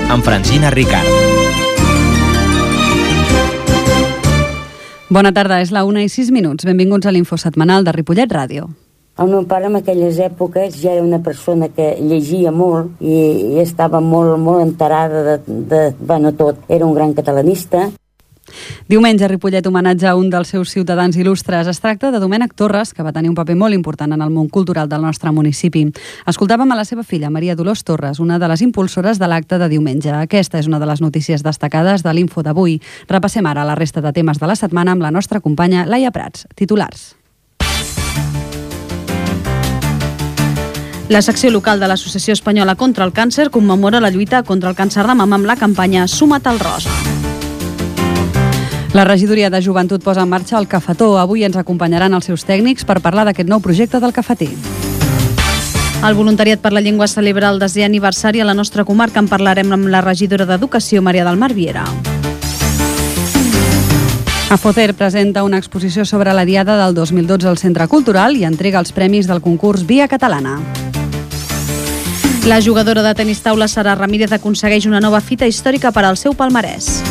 amb Francina Ricard. Bona tarda, és la 1:06. Benvinguts a l'Info Setmanal de Ripollet Ràdio. El meu pare en aquelles èpoques ja era una persona que llegia molt i estava molt enterada de tot. Era un gran catalanista. Diumenge a Ripollet homenatge a un dels seus ciutadans il·lustres. Es tracta de Domènec Torres, que va tenir un paper molt important en el món cultural del nostre municipi. Escoltàvem a la seva filla, Maria Dolors Torres, una de les impulsores de l'acte de diumenge. Aquesta és una de les notícies destacades de l'Info d'avui. Repassem ara la resta de temes de la setmana amb la nostra companya Laia Prats. Titulars. La secció local de l'Associació Espanyola contra el Càncer commemora la lluita contra el càncer de mama amb la campanya Suma't al Rosa. La regidoria de Joventut posa en marxa el Cafetó. Avui ens acompanyaran els seus tècnics per parlar d'aquest nou projecte del cafetí. El voluntariat per la llengua celebra el 10è aniversari a la nostra comarca. En parlarem amb la regidora d'Educació, Maria del Mar Viera. Afoter presenta una exposició sobre la Diada del 2012 al Centre Cultural i entrega els premis del concurs Via Catalana. La jugadora de tenis taula Sara Ramírez aconsegueix una nova fita històrica per al seu palmarès.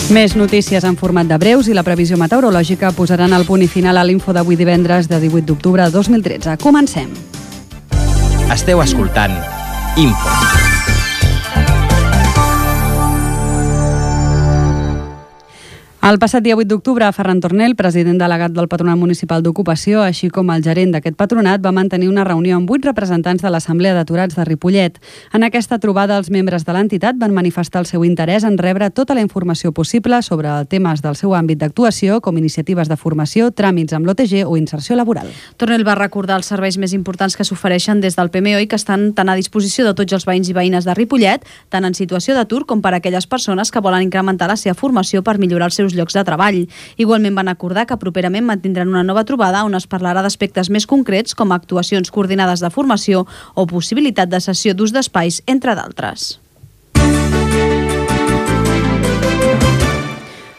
Més notícies en format de breus i la previsió meteorològica posaran el punt i final a l'Info d'avui divendres de 18 d'octubre de 2013. Comencem. Esteu escoltant Info. El passat dia 8 d'octubre, Ferran Tornel, president delegat del Patronat Municipal d'Ocupació, així com el gerent d'aquest patronat, va mantenir una reunió amb 8 representants de l'Assemblea d'Aturats de Ripollet. En aquesta trobada, els membres de l'entitat van manifestar el seu interès en rebre tota la informació possible sobre temes del seu àmbit d'actuació, com iniciatives de formació, tràmits amb l'OTG o inserció laboral. Tornel va recordar els serveis més importants que s'ofereixen des del PMO i que estan tan a disposició de tots els veïns i veïnes de Ripollet, tant en situació d'atur com per a aquelles persones que volen incrementar la seva formació per millorar els seus llocs de treball. Igualment van acordar que properament mantindran una nova trobada on es parlarà d'aspectes més concrets com actuacions coordinades de formació o possibilitat de cessió d'ús d'espais, entre d'altres.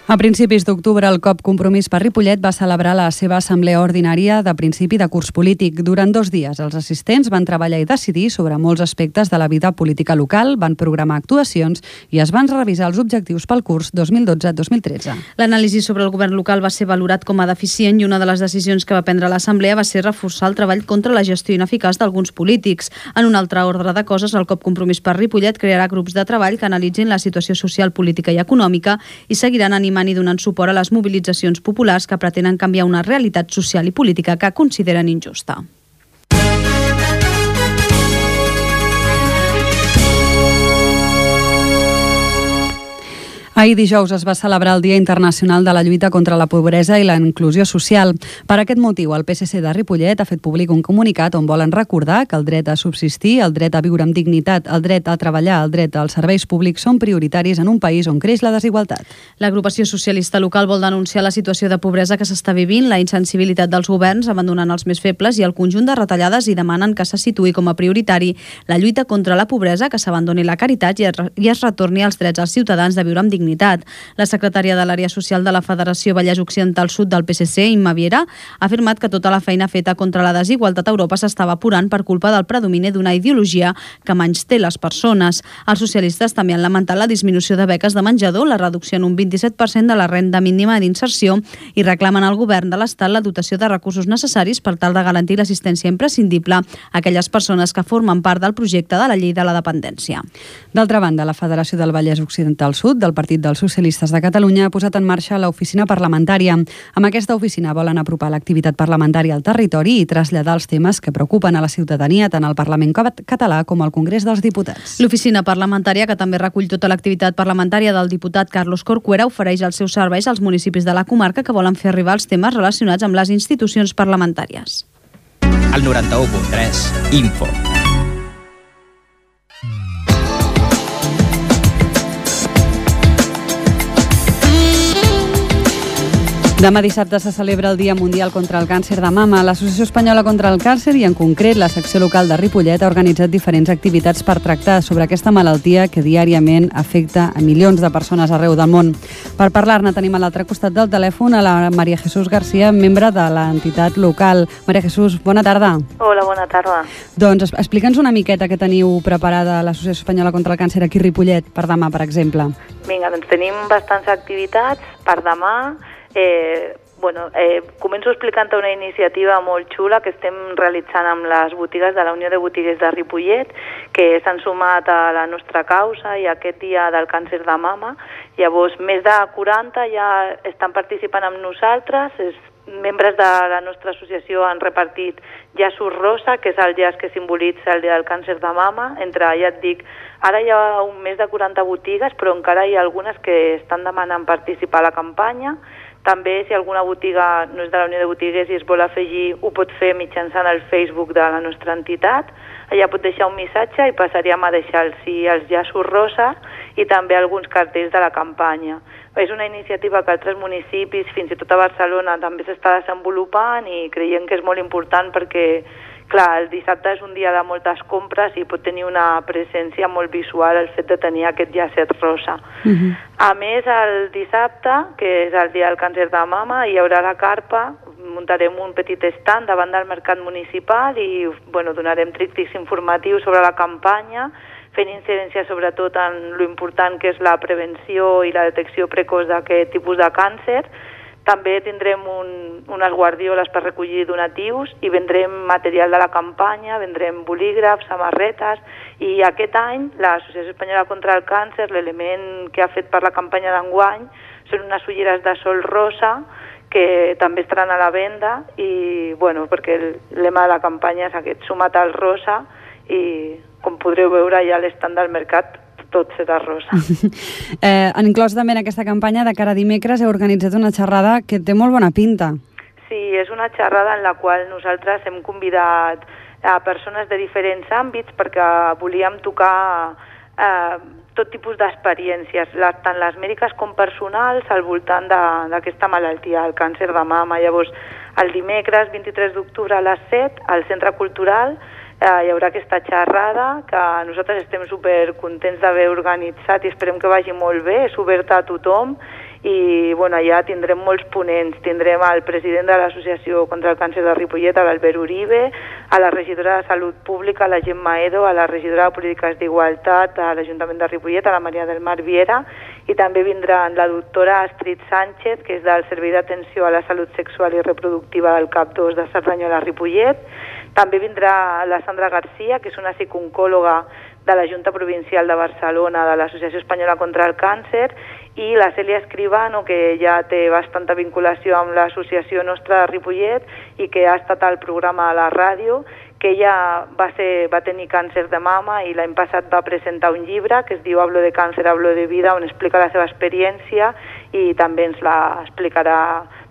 A principis d'octubre, el COP Compromís per Ripollet va celebrar la seva assemblea ordinària de principi de curs polític. Durant 2 dies, els assistents van treballar i decidir sobre molts aspectes de la vida política local, van programar actuacions i es van revisar els objectius pel curs 2012-2013. L'anàlisi sobre el govern local va ser valorat com a deficient i una de les decisions que va prendre l'assemblea va ser reforçar el treball contra la gestió ineficaç d'alguns polítics. En un altre ordre de coses, el COP Compromís per Ripollet crearà grups de treball que analitzin la situació social, política i econòmica i seguiran animant i donant suport a les mobilitzacions populars que pretenen canviar una realitat social i política que consideren injusta. Ahir dijous es va celebrar el Dia Internacional de la Lluita contra la Pobresa i la Inclusió Social. Per aquest motiu, el PSC de Ripollet ha fet públic un comunicat on volen recordar que el dret a subsistir, el dret a viure amb dignitat, el dret a treballar, el dret als serveis públics són prioritaris en un país on creix la desigualtat. L'agrupació socialista local vol denunciar la situació de pobresa que s'està vivint, la insensibilitat dels governs abandonant els més febles i el conjunt de retallades i demanen que se situï com a prioritari la lluita contra la pobresa, que s'abandoni la caritat i es retorni els drets als ciutadans de viure amb dignitat. La secretària de l'àrea social de la Federació Vallès Occidental Sud del PSC, Imma Viera, ha afirmat que tota la feina feta contra la desigualtat a Europa s'estava apurant per culpa del predomini d'una ideologia que menysté les persones. Els socialistes també han lamentat la disminució de beques de menjador, la reducció en un 27% de la renda mínima d'inserció i reclamen al govern de l'Estat la dotació de recursos necessaris per tal de garantir l'assistència imprescindible a aquelles persones que formen part del projecte de la llei de la dependència. D'altra banda, la Federació del Vallès Occidental Sud del Partit dels Socialistes de Catalunya ha posat en marxa l'oficina parlamentària. Amb aquesta oficina volen apropar l'activitat parlamentària al territori i traslladar els temes que preocupen a la ciutadania tant al Parlament català com al Congrés dels Diputats. L'oficina parlamentària, que també recull tota l'activitat parlamentària del diputat Carlos Corcuera, ofereix els seus serveis als municipis de la comarca que volen fer arribar els temes relacionats amb les institucions parlamentàries. Al 91.3, Info. Demà dissabte se celebra el Dia Mundial contra el Càncer de Mama. L'Associació Espanyola contra el Càncer i, en concret, la secció local de Ripollet ha organitzat diferents activitats per tractar sobre aquesta malaltia que diàriament afecta a milions de persones arreu del món. Per parlar-ne tenim a l'altre costat del telèfon a la Maria Jesús García, membre de l'entitat local. Maria Jesús, bona tarda. Hola, bona tarda. Doncs explica'ns una miqueta què teniu preparada a l'Associació Espanyola contra el Càncer aquí a Ripollet per demà, per exemple. Vinga, doncs tenim bastants activitats per demà. Començo explicant una iniciativa molt xula que estem realitzant amb les botigues de la Unió de Botiguers de Ripollet, que s'han sumat a la nostra causa i a aquest dia del càncer de mama. Llavors, més de 40 ja estan participant amb nosaltres. Membres de la nostra associació han repartit llaços rosa, que és el llaç que simbolitza el dia del càncer de mama. Ja et dic, ara hi ha més de 40 botigues, però encara hi ha algunes que estan demanant participar a la campanya. També, si alguna botiga no és de la Unió de Botiguers i es vol afegir, ho pot fer mitjançant el Facebook de la nostra entitat. Allà pot deixar un missatge i passaríem a deixar els llaços rosa i també alguns cartells de la campanya. És una iniciativa que altres municipis, fins i tot a Barcelona, també s'està desenvolupant i creiem que és molt important perquè, clar, el dissabte és un dia de moltes compres i pot tenir una presència molt visual el fet de tenir aquest llacet rosa. A més, el dissabte, que és el dia del càncer de mama, hi haurà la carpa, muntarem un petit estand davant del mercat municipal i donarem tríptics informatius sobre la campanya, fent incidència sobretot en lo important que és la prevenció i la detecció precoç d'aquest tipus de càncer. També tindrem unes guardioles per recollir donatius i vendrem material de la campanya, vendrem bolígrafs, samarretes, i aquest any l'Associació Espanyola contra el Càncer, l'element que ha fet per la campanya d'enguany, són unes ulleres de sol rosa que també estaran a la venda i, perquè el lema de la campanya és aquest, suma't al rosa, i com podreu veure ja a l'estand del mercat tot serà rosa. Han inclòs també en aquesta campanya de cara a dimecres heu organitzat una xerrada que té molt bona pinta. Sí, és una xerrada en la qual nosaltres hem convidat a persones de diferents àmbits perquè volíem tocar tot tipus d'experiències, tant les mèdiques com personals, al voltant d'aquesta malaltia, el càncer de mama. Llavors, el dimecres 23 d'octubre a les 7, al Centre Cultural, hi haurà aquesta xerrada que nosaltres estem supercontents d'haver organitzat i esperem que vagi molt bé, és oberta a tothom i allà tindrem molts ponents. Tindrem el president de l'Associació contra el Càncer de Ripollet, l'Albert Uribe, a la regidora de Salut Pública, la Gemma Edo, a la regidora de Polítiques d'Igualtat a l'Ajuntament de Ripollet, a la Maria del Mar Viera, i també vindran la doctora Astrid Sánchez, que és del Servei d'Atenció a la Salut Sexual i Reproductiva del CAP 2 de Cerdanyola Ripollet. També vindrà la Sandra García, que és una psiconcòloga de la Junta Provincial de Barcelona, de l'Associació Espanyola contra el Càncer, i la Cèlia Escribano, que ja té bastanta vinculació amb l'associació nostra de Ripollet i que ha estat al programa a la ràdio, que ella va tenir càncer de mama i l'any passat va presentar un llibre que es diu Hablo de càncer, hablo de vida, on explica la seva experiència i també ens la explicarà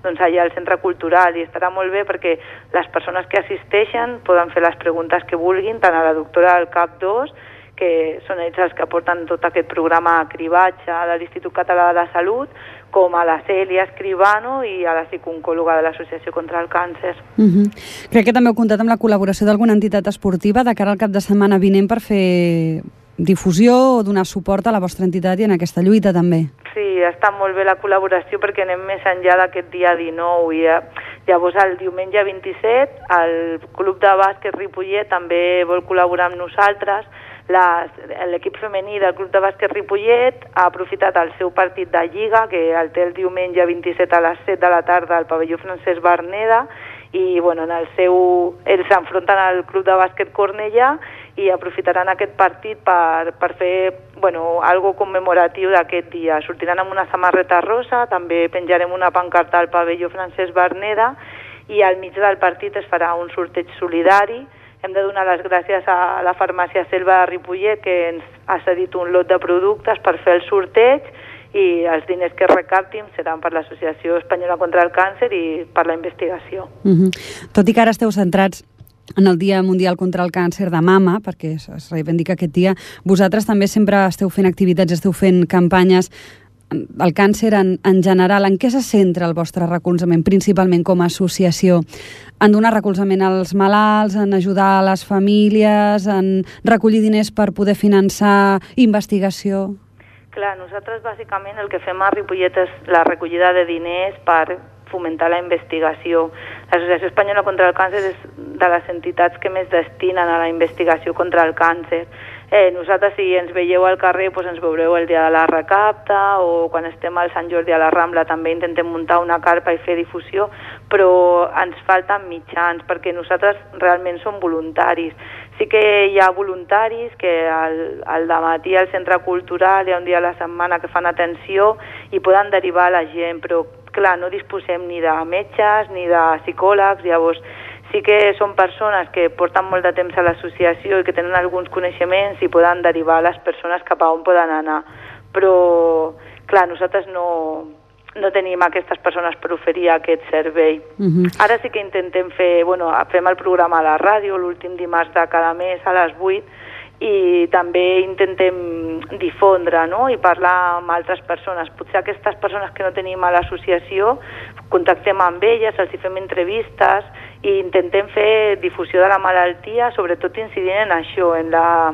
allà al Centre Cultural, i estarà molt bé perquè les persones que assisteixen poden fer les preguntes que vulguin, tant a la doctora del CAP 2, que són ells els que porten tot aquest programa de cribatge de l'Institut Català de la Salut, com a la Cèlia Escribano i a la psiconcòloga de l'Associació contra el Càncer. Crec que també heu comptat amb la col·laboració d'alguna entitat esportiva de cara al cap de setmana vinent per fer difusió o donar suport a la vostra entitat i en aquesta lluita també. Sí, està molt bé la col·laboració perquè anem més enllà d'aquest dia 19 i llavors el diumenge 27 el Club de Bàsquet Ripollet també vol col·laborar amb nosaltres. L'equip femení del Club de Bàsquet Ripollet ha aprofitat el seu partit de Lliga, que el té el diumenge 27 a les 7 de la tarda al pavelló Francesc Berneda, i ells s'enfronten al Club de Bàsquet Cornellà i aprofitaran aquest partit per fer algo commemoratiu d'aquest dia. Sortiran amb una samarreta rosa, també penjarem una pancarta al pavelló Francesc Berneda i al mig del partit es farà un sorteig solidari. Hem de donar les gràcies a la farmàcia Selva de Ripollet, que ens ha cedit un lot de productes per fer el sorteig, i els diners que recaptin seran per l'Associació Espanyola contra el Càncer i per la investigació. Tot i que ara esteu centrats en el Dia Mundial contra el Càncer de Mama, perquè es reivindica aquest dia, vosaltres també sempre esteu fent activitats, esteu fent campanyes. el càncer en general, en què se centra el vostre recolzament, principalment com a associació? En donar recolzament als malalts, en ajudar a les famílies, en recollir diners per poder finançar investigació? Clar, nosaltres bàsicament el que fem a Ripollet és la recollida de diners per fomentar la investigació. L'Associació Espanyola contra el Càncer és de les entitats que més destinen a la investigació contra el càncer. Nosaltres, si ens veieu al carrer, doncs ens veureu el dia de la recapta, o quan estem al Sant Jordi a la Rambla també intentem muntar una carpa i fer difusió, però ens falten mitjans, perquè nosaltres realment som voluntaris. Sí que hi ha voluntaris que al dematí al centre cultural hi ha un dia a la setmana que fan atenció i poden derivar la gent, però clar, no disposem ni de metges ni de psicòlegs, llavors sí que són persones que porten molt de temps a l'associació i que tenen alguns coneixements i poden derivar les persones cap a on poden anar. Però, clar, nosaltres no tenim aquestes persones per oferir aquest servei. Ara sí que intentem fem el programa a la ràdio l'últim dimarts de cada mes a les 8 i també intentem difondre, no?, i parlar amb altres persones. Potser aquestes persones que no tenim a l'associació contactem amb elles, els hi fem entrevistes i intentem fer difusió de la malaltia, sobretot incidint en això, en la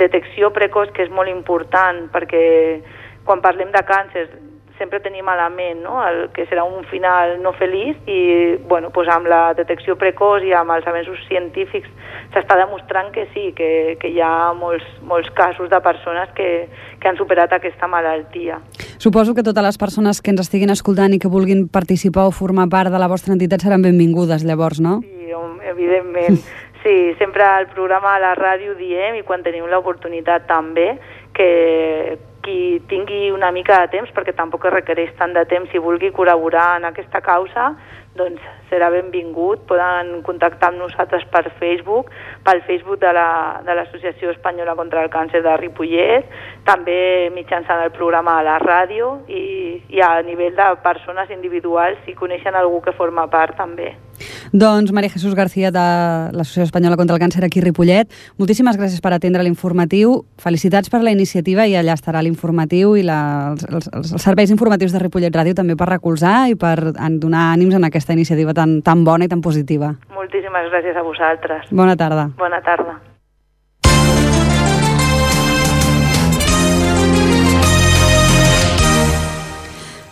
detecció precoç, que és molt important, perquè quan parlem de càncer sempre tenim a la ment, no?, el que serà un final no feliç i doncs amb la detecció precoç i amb els avenços científics s'està demostrant que sí, que hi ha molts casos de persones que han superat aquesta malaltia. Suposo que totes les persones que ens estiguin escoltant i que vulguin participar o formar part de la vostra entitat seran benvingudes, llavors, no? Sí, evidentment. Sí, sempre al programa a la ràdio diem, i quan tenim l'oportunitat també, que qui tingui una mica de temps, perquè tampoc es requereix tant de temps, si vulgui col·laborar en aquesta causa, doncs serà benvingut. Poden contactar amb nosaltres per Facebook, pel Facebook de l'Associació Espanyola contra el Càncer de Ripollet, també mitjançant el programa a la ràdio i a nivell de persones individuals, si coneixen algú que forma part també. Doncs María Jesús García de l'Associació Espanyola contra el Càncer aquí a Ripollet, moltíssimes gràcies per atendre l'informatiu, felicitats per la iniciativa i allà estarà l'informatiu i els serveis informatius de Ripollet Ràdio també per recolzar i per donar ànims en aquesta iniciativa tan bona i tan positiva. Moltíssimes gràcies a vosaltres. Bona tarda. Bona tarda.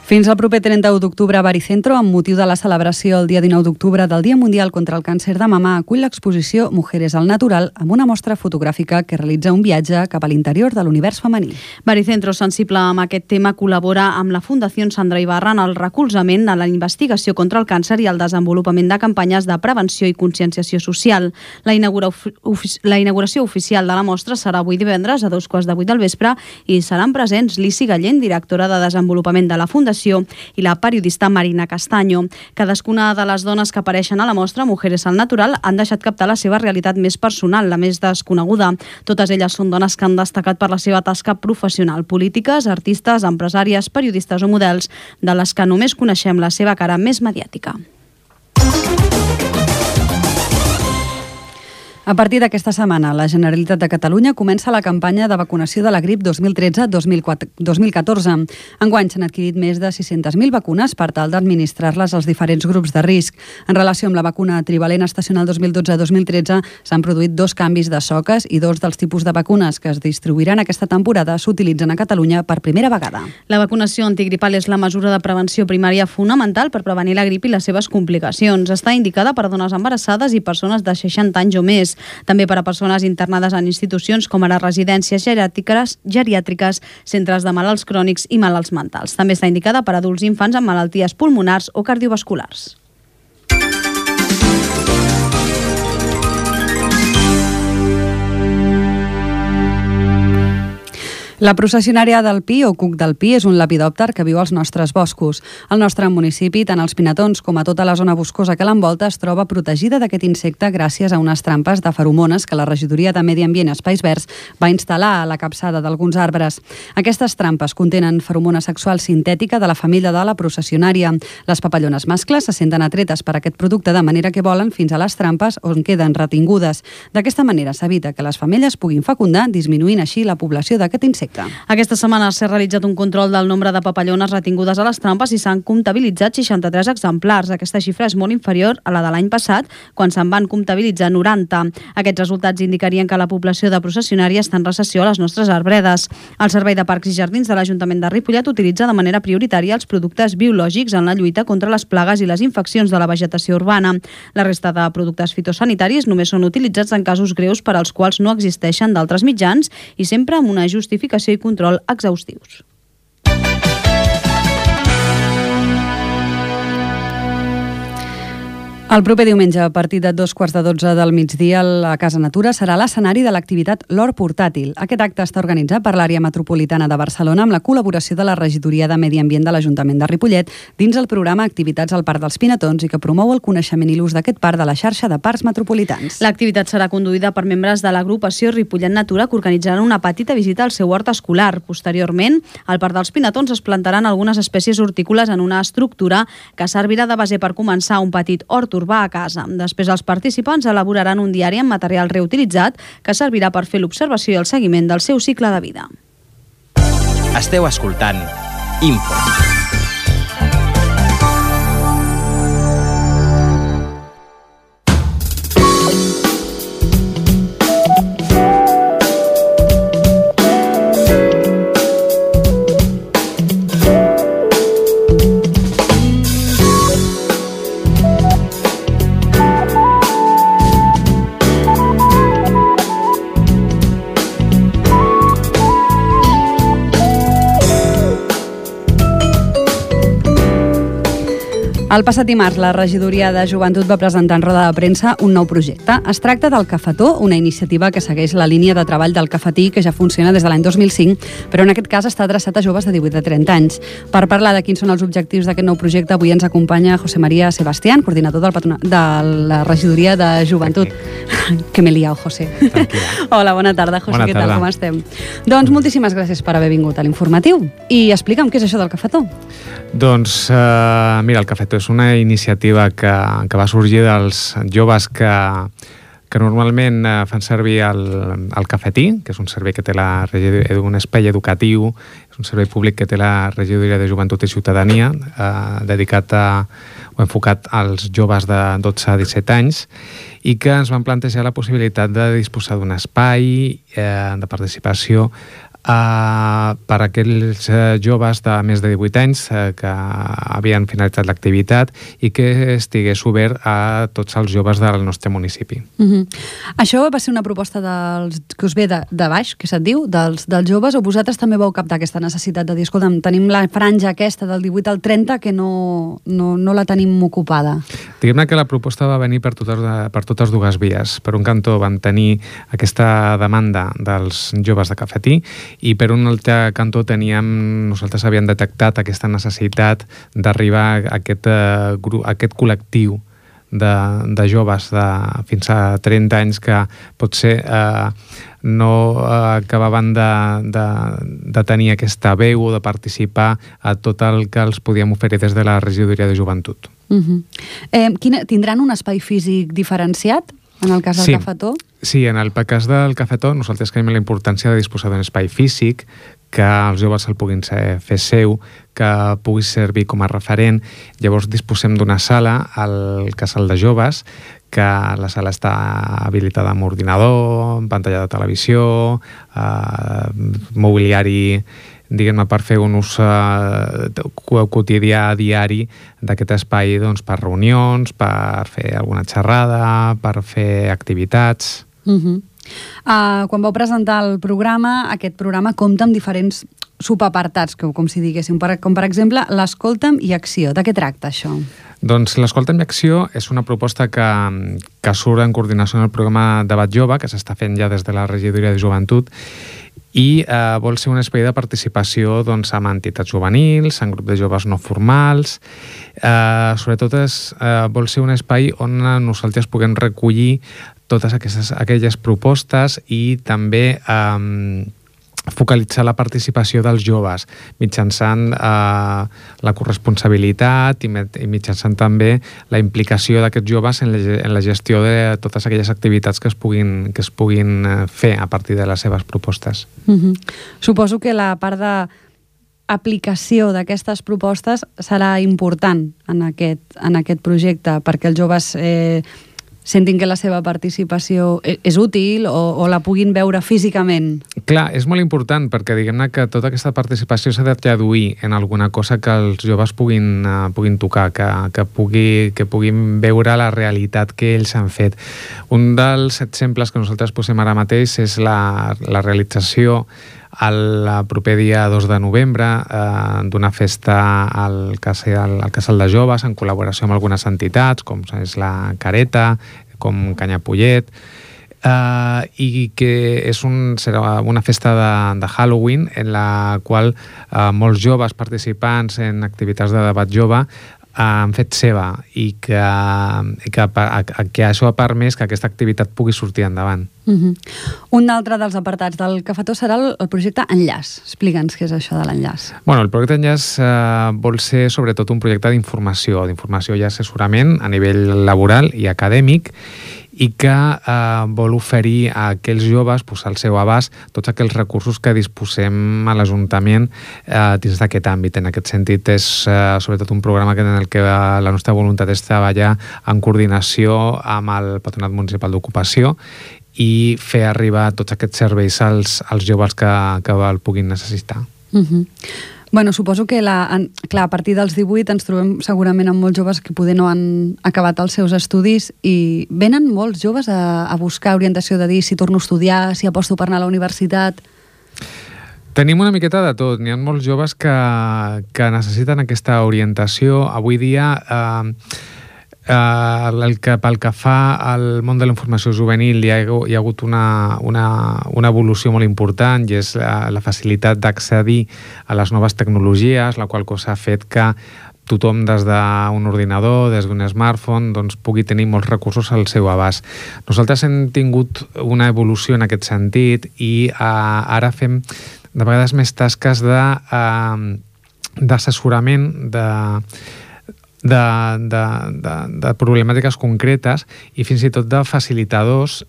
Fins al proper 31 d'octubre a Baricentro, amb motiu de la celebració el dia 19 d'octubre del Dia Mundial contra el Càncer de Mama, acull l'exposició Mujeres al Natural amb una mostra fotogràfica que realitza un viatge cap a l'interior de l'univers femení. Baricentro, sensible amb aquest tema, col·labora amb la Fundació Sandra Ibarra en el recolzament a la investigació contra el càncer i el desenvolupament de campanyes de prevenció i conscienciació social. La inauguració oficial de la mostra serà avui divendres a 2:15 del vespre i seran presents Lissi Gallent, directora de Desenvolupament de la Fundació, i la periodista Marina Castaño. Cadascuna de les dones que apareixen a la mostra, Mujeres al Natural, han deixat captar la seva realitat més personal, la més desconeguda. Totes elles són dones que han destacat per la seva tasca professional, polítiques, artistes, empresàries, periodistes o models, de les que només coneixem la seva cara més mediàtica. A partir d'aquesta setmana, la Generalitat de Catalunya comença la campanya de vacunació de la grip 2013-2014. Enguany s'han adquirit més de 600.000 vacunes per tal d'administrar-les als diferents grups de risc. En relació amb la vacuna trivalent estacional 2012-2013, s'han produït 2 canvis de soques i 2 dels tipus de vacunes que es distribuiran aquesta temporada s'utilitzen a Catalunya per primera vegada. La vacunació antigripal és la mesura de prevenció primària fonamental per prevenir la grip i les seves complicacions. Està indicada per dones embarassades i persones de 60 anys o més. També per a persones internades en institucions com ara residències geriàtriques, centres de malalts crònics i malalts mentals. També està indicada per a adults i infants amb malalties pulmonars o cardiovasculars. La processionària del Pi, o cuc del Pi, és un lepidòpter que viu als nostres boscos. Al nostre municipi, tant els pinatons com a tota la zona boscosa que l'envolta es troba protegida d'aquest insecte gràcies a unes trampes de feromones que la Regidoria de Medi Ambient i Espais Verds va instal·lar a la capçada d'alguns arbres. Aquestes trampes contenen feromona sexual sintètica de la família de la processionària. Les papallones mascles se senten atretes per aquest producte de manera que volen fins a les trampes on queden retingudes. D'aquesta manera s'evita que les femelles puguin fecundar, disminuint així la població d'aquest insecte. efecte. Aquesta setmana s'ha realitzat un control del nombre de papallones retingudes a les trampes i s'han comptabilitzat 63 exemplars. Aquesta xifra és molt inferior a la de l'any passat, quan se'n van comptabilitzar 90. Aquests resultats indicarien que la població de processionària està en recessió a les nostres arbredes. El Servei de Parcs i Jardins de l'Ajuntament de Ripollet utilitza de manera prioritària els productes biològics en la lluita contra les plagues i les infeccions de la vegetació urbana. La resta de productes fitosanitaris només són utilitzats en casos greus per als quals no existeixen d'altres mitjans i sempre amb una justificació i control exhaustius. El proper diumenge, a partir de 11:45 del migdia, la Casa Natura serà l'escenari de l'activitat L'Hort Portàtil. Aquest acte està organitzat per l'àrea metropolitana de Barcelona amb la col·laboració de la Regidoria de Medi Ambient de l'Ajuntament de Ripollet dins el programa Activitats al Parc dels Pinatons i que promou el coneixement i l'ús d'aquest parc de la xarxa de parcs metropolitans. L'activitat serà conduïda per membres de l'agrupació Ripollet Natura que organitzaran una petita visita al seu hort escolar. Posteriorment, al Parc dels Pinatons es plantaran algunes espècies hortícoles en una estructura que servirà de base per començar un petit hort urbà a casa. Després els participants elaboraran un diari amb material reutilitzat que servirà per fer l'observació i el seguiment del seu cicle de vida. Esteu escoltant Info. El passat dimarts, la Regidoria de Joventut va presentar en roda de premsa un nou projecte. Es tracta del Cafetó, una iniciativa que segueix la línia de treball del cafetí que ja funciona des de l'any 2005, però en aquest cas està adreçat a joves de 18 a 30 anys. Per parlar de quins són els objectius d'aquest nou projecte, avui ens acompanya José María Sebastián, coordinador de la Regidoria de Joventut. Que m'he liat, José. Hola, bona tarda, José. Bona tarda. Què tal, com estem? Doncs moltíssimes gràcies per haver vingut a l'informatiu. I explica'm què és això del Cafetó. Doncs, mira, el Cafetó és una iniciativa que va sorgir dels joves que normalment fan servir el cafetí, que és un servei que té un espai educatiu, és un servei públic que té la Regidoria de Joventut i Ciutadania, dedicat o enfocat als joves de 12 a 17 anys, i que ens van plantejar la possibilitat de disposar d'un espai de participació per a aquells joves de més de 18 anys que havien finalitzat l'activitat i que estigués obert a tots els joves del nostre municipi. Això va ser una proposta que us ve de baix, que se't diu, dels joves, o vosaltres també vau captar aquesta necessitat de dir, escolta'm, tenim la franja aquesta del 18 al 30 que no la tenim ocupada? Diguem-ne que la proposta va venir per totes dues vies. Per un cantó vam tenir aquesta demanda dels joves de cafetí i per un altre cantó nosaltres havíem detectat aquesta necessitat d'arribar a aquest col·lectiu de joves de fins a 30 anys que potser no acabaven de tenir aquesta veu o de participar a tot el que els podíem oferir des de la Regidoria de Joventut. Tindran un espai físic diferenciat en el cas del Cafetó? Sí, en el cas del Cafetó nosaltres creiem la importància de disposar d'un espai físic, que els joves el puguin fer seu, que pugui servir com a referent. Llavors disposem d'una sala al casal de joves, que la sala està habilitada amb ordinador, amb pantalla de televisió, mobiliari, diguem-ne, per fer un ús quotidià, diari d'aquest espai per reunions, per fer alguna xerrada, per fer activitats. Quan vau presentar el programa, aquest programa compta amb diferents subapartats, com si diguéssim, com per exemple l'Escolta'm i Acció. De què tracta això? Doncs l'Escolta'm i Acció és una proposta que surt en coordinació amb el programa Debat Jove, que s'està fent ja des de la Regidoria de Joventut, i vol ser un espai de participació amb entitats juvenils, en grups de joves no formals. Sobretot vol ser un espai on nosaltres puguem recollir totes aquelles propostes i també focalitzar la participació dels joves mitjançant la corresponsabilitat i mitjançant també la implicació d'aquests joves en la gestió de totes aquelles activitats que es puguin fer a partir de les seves propostes. Suposo que la part d'aplicació d'aquestes propostes serà important en aquest projecte, perquè els joves sentin que la seva participació és útil o la puguin veure físicament. Clar, és molt important perquè diguem-ne que tota aquesta participació s'ha de traduir en alguna cosa que els joves puguin tocar, que puguin veure la realitat que ells han fet. Un dels exemples que nosaltres posem ara mateix és la realització el proper dia 2 de novembre d'una festa al Casal de Joves en col·laboració amb algunes entitats com és la Careta, com Canyapollet, i que serà una festa de Halloween en la qual molts joves participants en activitats de debat jove han fet seva i que això ha permès que aquesta activitat pugui sortir endavant. Un altre dels apartats del Cafetó serà el projecte Enllaç. Explica'ns què és això de l'Enllaç. El projecte Enllaç vol ser sobretot un projecte d'informació i assessorament a nivell laboral i acadèmic i que vol oferir a aquells joves al seu abast tots aquells recursos que disposem a l'Ajuntament dins d'aquest àmbit. En aquest sentit, és sobretot un programa en el que la nostra voluntat és treballar en coordinació amb el Patronat Municipal d'Ocupació i fer arribar tots aquests serveis als joves que el puguin necessitar. Suposo que a partir dels 18 ens trobem segurament amb molts joves que poder no han acabat els seus estudis i venen molts joves a buscar orientació de dir si torno a estudiar, si aposto per anar a la universitat. Tenim una miqueta de tot. N'hi ha molts joves que necessiten aquesta orientació. Avui dia pel que fa al món de la informació juvenil hi ha hagut una evolució molt important i és la facilitat d'accedir a les noves tecnologies, la qual cosa ha fet que tothom des d'un ordinador, des d'un smartphone, pugui tenir molts recursos al seu abast. Nosaltres hem tingut una evolució en aquest sentit i ara fem de vegades més tasques d'assessorament de problemàtiques concretes i fins i tot de facilitadors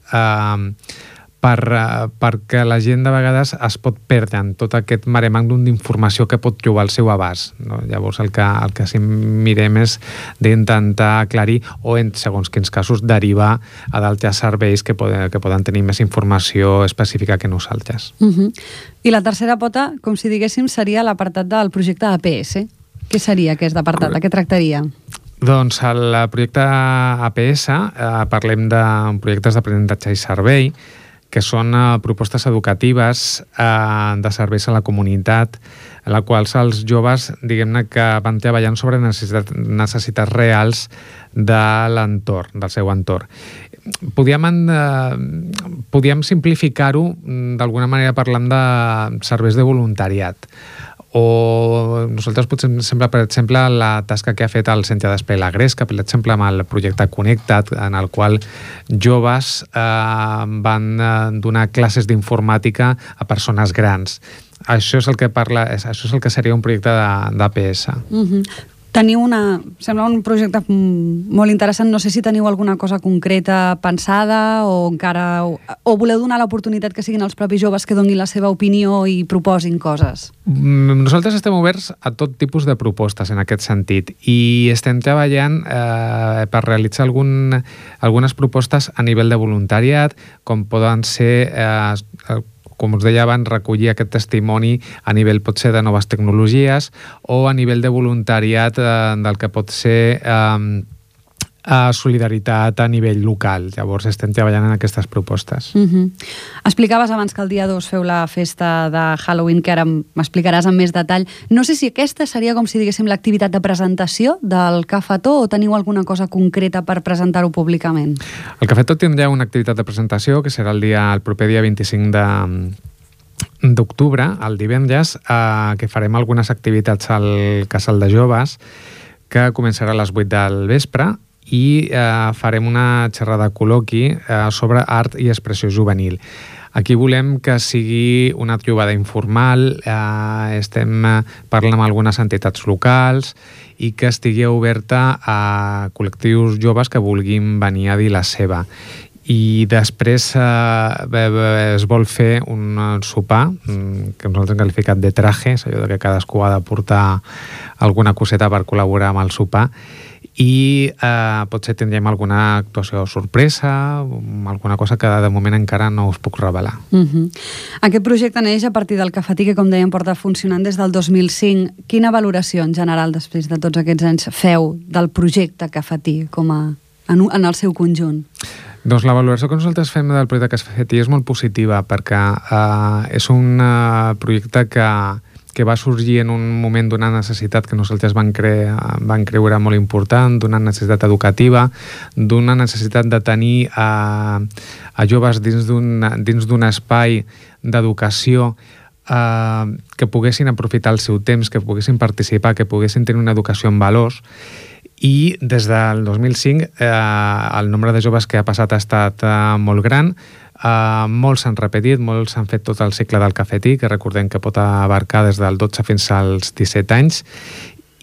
perquè la gent de vegades es pot perdre en tot aquest mare magnum d'informació que pot trobar al seu abast. Llavors el que sí mirem és d'intentar aclarir o en segons quins casos derivar a d'altres serveis que poden tenir més informació específica que nosaltres. I la tercera pota, com si diguéssim, seria l'apartat del projecte APS. Què seria aquest apartat? De què tractaria? Doncs el projecte APS parlem de projectes d'aprenentatge i servei, que són propostes educatives de serveis a la comunitat, en la qual els joves, diguem-ne, que van treballant sobre necessitats reals de l'entorn, del seu entorn. Podíem simplificar-ho d'alguna manera parlant de serveis de voluntariat. O nosaltres posem sempre, per exemple, la tasca que ha fet el Centre d'Espai La Gresca, per exemple, amb el projecte Connecta't, en el qual joves van donar classes d'informàtica a persones grans. Això és el que seria un projecte d'APS. Sembla un projecte molt interessant. No sé si teniu alguna cosa concreta pensada o voleu donar l'oportunitat que siguin els propis joves que donin la seva opinió i proposin coses. Nosaltres estem oberts a tot tipus de propostes en aquest sentit i estem treballant per realitzar algunes propostes a nivell de voluntariat, com poden ser com us deia abans, recollir aquest testimoni a nivell potser de noves tecnologies o a nivell de voluntariat del que pot ser solidaritat a nivell local. Llavors estem treballant en aquestes propostes. Explicaves abans que el dia 2 feu la festa de Halloween, que ara m'explicaràs amb més detall. No sé si aquesta seria com si diguéssim l'activitat de presentació del Cafetó o teniu alguna cosa concreta per presentar-ho públicament? El Cafetó tindrà una activitat de presentació que serà el proper dia 25 d'octubre, el divendres, que farem algunes activitats al Casal de Joves, que començarà a les 8 del vespre, i farem una xerrada col·loqui sobre art i expressió juvenil. Aquí volem que sigui una trobada informal, estem parlant amb algunes entitats locals i que estigui oberta a col·lectius joves que vulguin venir a dir la seva. I després es vol fer un sopar, que nosaltres hem qualificat de traje, és allò que cadascú ha de portar alguna coseta per col·laborar amb el sopar, i potser tindrem alguna actuació sorpresa, alguna cosa que de moment encara no us puc revelar. Aquest projecte neix a partir del Cafetí, que com dèiem porta funcionant des del 2005. Quina valoració en general després de tots aquests anys feu del projecte Cafetí en el seu conjunt? Doncs la valoració que nosaltres fem del projecte Cafetí és molt positiva, perquè és un projecte que va sorgir en un moment d'una necessitat que nosaltres van creure molt important, d'una necessitat educativa, d'una necessitat de tenir a joves dins d'un espai d'educació que poguessin aprofitar el seu temps, que poguessin participar, que poguessin tenir una educació en valors. I des del 2005 el nombre de joves que ha passat ha estat molt gran. Molts s'han repetit, molts s'han fet tot el cicle del Cafetí, que recordem que pot abarcar des del 12 fins als 17 anys,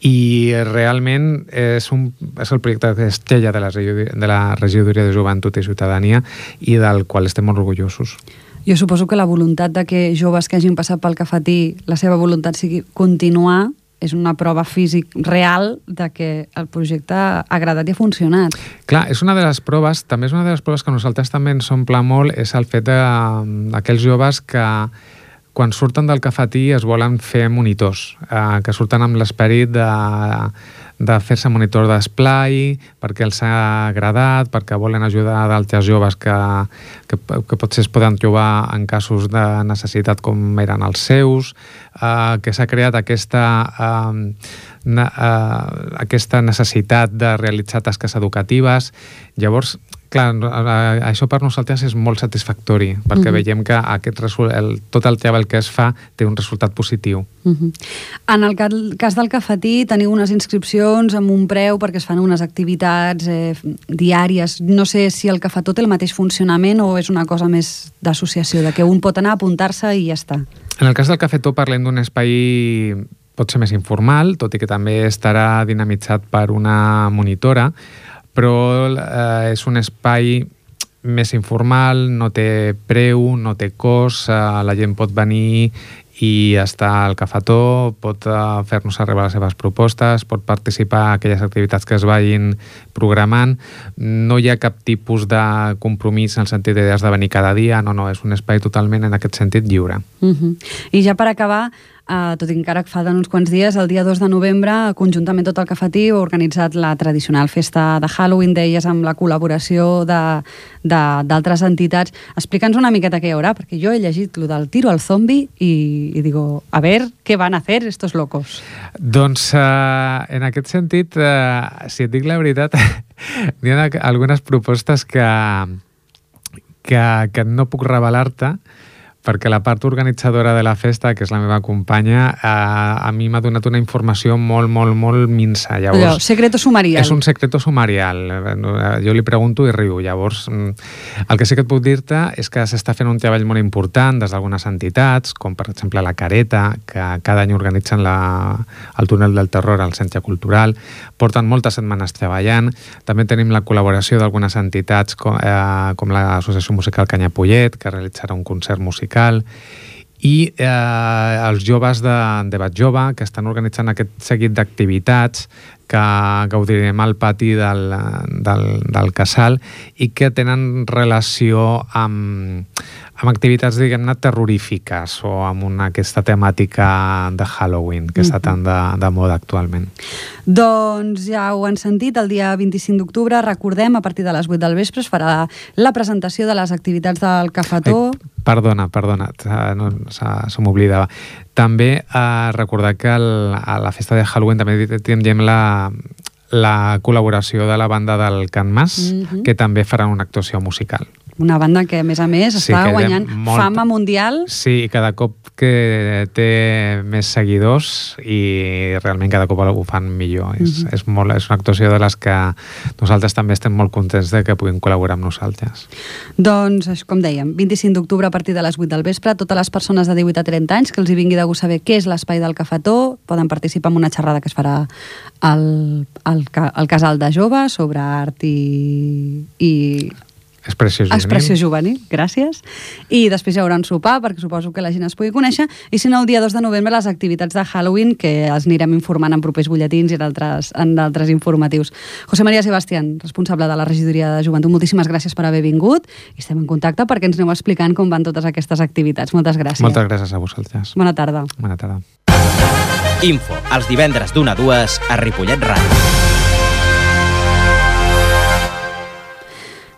i realment és el projecte estrella de la Regidoria de Joventut i Ciutadania i del qual estem molt orgullosos. Jo suposo que la voluntat de que joves que hagin passat pel Cafetí, la seva voluntat sigui continuar, és una prova físic real de que el projecte ha agradat i ha funcionat. Clar, és una de les proves, també és una de les proves que nosaltres també ens omple molt, és el fet d'aquells joves que quan surten del Cafetí es volen fer monitors, que surten amb l'esperit de fer-se monitor d'esplai, perquè els ha agradat, perquè volen ajudar d'altres joves que potser es poden trobar en casos de necessitat com eren els seus, que s'ha creat aquesta necessitat de realitzar tasques educatives. Llavors, clar, això per nosaltres és molt satisfactori, perquè veiem que tot el treball que es fa té un resultat positiu. En el cas del Cafetí teniu unes inscripcions amb un preu perquè es fan unes activitats diàries. No sé si el Cafetó té el mateix funcionament o és una cosa més d'associació, de que un pot anar a apuntar-se i ja està. En el cas del Cafetó parlem d'un espai potser més informal, tot i que també estarà dinamitzat per una monitora, però és un espai més informal, no té preu, no té cost, la gent pot venir i estar al cafetó, pot fer-nos arribar les seves propostes, pot participar en aquelles activitats que es vagin programant. No hi ha cap tipus de compromís en el sentit de has de venir cada dia, no, és un espai totalment en aquest sentit lliure. I ja per acabar, tot i que encara falten uns quants dies, el dia 2 de novembre, conjuntament tot el Cafetí ha organitzat la tradicional festa de Halloween, deies, amb la col·laboració d'altres entitats. Explica'ns una miqueta què hi haurà, perquè jo he llegit lo del tiro al zombi i digo, a ver, què van a hacer estos locos? Doncs, en aquest sentit, si et dic la veritat, hi ha algunes propostes que no puc revelar-te, perquè la part organitzadora de la festa, que és la meva companya, a mi m'ha donat una informació molt, molt, molt minsa. Llavors, secreto sumarial. És un secreto sumarial. Jo li pregunto i riu. Llavors, el que sí que et puc dir-te és que s'està fent un treball molt important des d'algunes entitats, com per exemple la Careta, que cada any organitzen el túnel del terror al Centre Cultural. Porten moltes setmanes treballant. També tenim la col·laboració d'algunes entitats com l'Associació Musical Canyapollet, que realitzarà un concert musical, i els joves de Bat Jove, que estan organitzant aquest seguit d'activitats que gaudirem al pati del casal i que tenen relació amb activitats, diguem-ne, terrorífiques o amb aquesta temàtica de Halloween que està tan de moda actualment. Doncs ja ho han sentit, el dia 25 d'octubre, recordem, a partir de les 8 del vespre es farà la presentació de les activitats del Cafetó. Perdona, se m'oblidava. També recordar que a la festa de Halloween també tindrem la col·laboració de la banda del Can Mas, que també farà una actuació musical. Una banda que, a més, està guanyant fama mundial. Sí, cada cop que té més seguidors i realment cada cop ho fan millor. És una actuació de les que nosaltres també estem molt contents de que puguin col·laborar amb nosaltres. Doncs, com dèiem, 25 d'octubre a partir de les 8 del vespre, totes les persones de 18 a 30 anys que els hi vingui de gust saber què és l'Espai del Cafetó poden participar en una xerrada que es farà al Casal de Joves sobre art i Expressió juvenil, gràcies. I després hi haurà un sopar, perquè suposo que la gent es pugui conèixer, i si no, el dia 2 de novembre les activitats de Halloween, que els anirem informant en propers butlletins i en d'altres informatius. José María Sebastián, responsable de la Regidoria de Joventut, moltíssimes gràcies per haver vingut i estem en contacte perquè ens aneu explicant com van totes aquestes activitats. Moltes gràcies. Moltes gràcies a vosaltres. Bona tarda. Bona tarda. Info, els divendres d'1 a 2 a Ripollet Ràdio.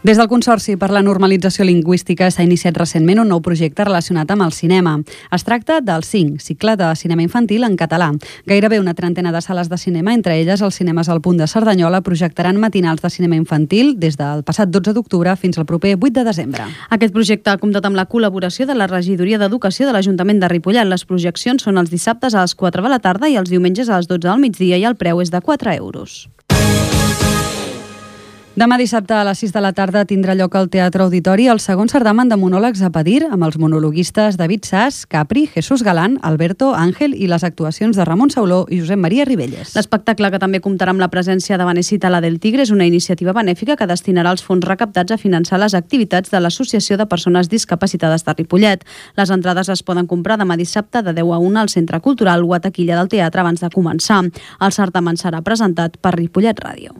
Des del Consorci per la Normalització Lingüística s'ha iniciat recentment un nou projecte relacionat amb el cinema. Es tracta del CINC, Cicle de Cinema Infantil en català. Gairebé una trentena de sales de cinema, entre elles els cinemes al Punt de Cerdanyola, projectaran matinals de cinema infantil des del passat 12 d'octubre fins al proper 8 de desembre. Aquest projecte ha comptat amb la col·laboració de la Regidoria d'Educació de l'Ajuntament de Ripollet. Les projeccions són els dissabtes a les 4 de la tarda i els diumenges a les 12 del migdia i el preu és de 4 euros. Demà dissabte a les 6 de la tarda tindrà lloc al Teatre Auditori el segon certamen de monòlegs a Pedir amb els monologuistes David Sass, Capri, Jesús Galán, Alberto, Àngel i les actuacions de Ramon Sauló i Josep Maria Ribelles. L'espectacle, que també comptarà amb la presència de Vanessa Tala del Tigre, és una iniciativa benèfica que destinarà els fons recaptats a finançar les activitats de l'Associació de Persones Discapacitades de Ripollet. Les entrades es poden comprar demà dissabte de 10 a 1 al Centre Cultural o a taquilla del teatre abans de començar. El certamen serà presentat per Ripollet Ràdio.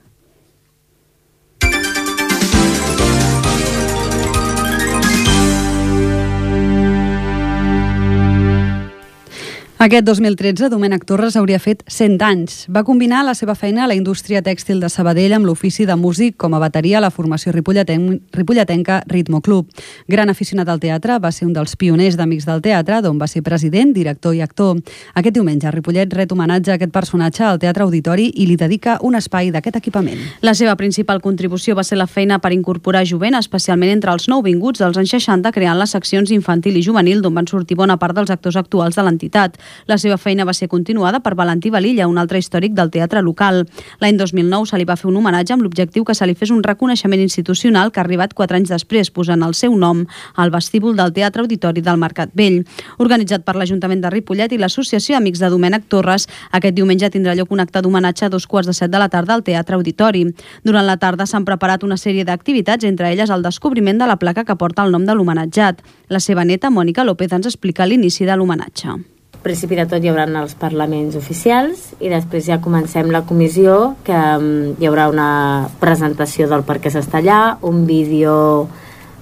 Aquest 2013, Domènec Torres hauria fet 100 anys. Va combinar la seva feina a la indústria tèxtil de Sabadell amb l'ofici de músic com a bateria a la formació ripolletenca Ritmo Club. Gran aficionat al teatre, va ser un dels pioners d'Amics del Teatre, d'on va ser president, director i actor. Aquest diumenge, Ripollet ret homenatge a aquest personatge al Teatre Auditori i li dedica un espai d'aquest equipament. La seva principal contribució va ser la feina per incorporar jovent, especialment entre els nouvinguts dels anys 60, creant les seccions infantil i juvenil, d'on van sortir bona part dels actors actuals de l'entitat. La seva feina va ser continuada per Valentí Valilla, un altre històric del teatre local. L'any 2009 se li va fer un homenatge amb l'objectiu que se li fes un reconeixement institucional que ha arribat 4 anys després, posant el seu nom al vestíbul del Teatre Auditori del Mercat Vell. Organitzat per l'Ajuntament de Ripollet i l'Associació Amics de Domènec Torres, aquest diumenge tindrà lloc un acte d'homenatge a 2:15 de la tarda al Teatre Auditori. Durant la tarda s'han preparat una sèrie d'activitats, entre elles el descobriment de la placa que porta el nom de l'homenatjat. La seva neta, Mònica López, ens explica l'inici de l'homenatge. Al principi de tot hi haurà els parlaments oficials i després ja comencem la comissió, que hi haurà una presentació del per què s'està allà, un vídeo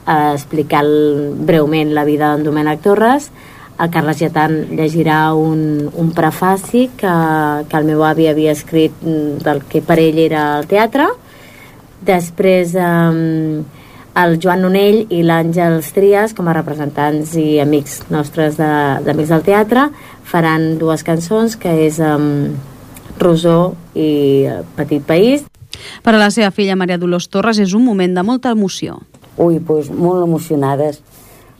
explicant breument la vida d'en Domènec Torres. El Carles Getan llegirà un prefaci que el meu avi havia escrit del que per ell era el teatre. Després el Joan Nonell i l'Àngels Trias, com a representants i amics nostres d'Amics del Teatre, faran 2 cançons, que és Rosó i Petit País. Per a la seva filla Maria Dolors Torres és un moment de molta emoció. Doncs molt emocionades,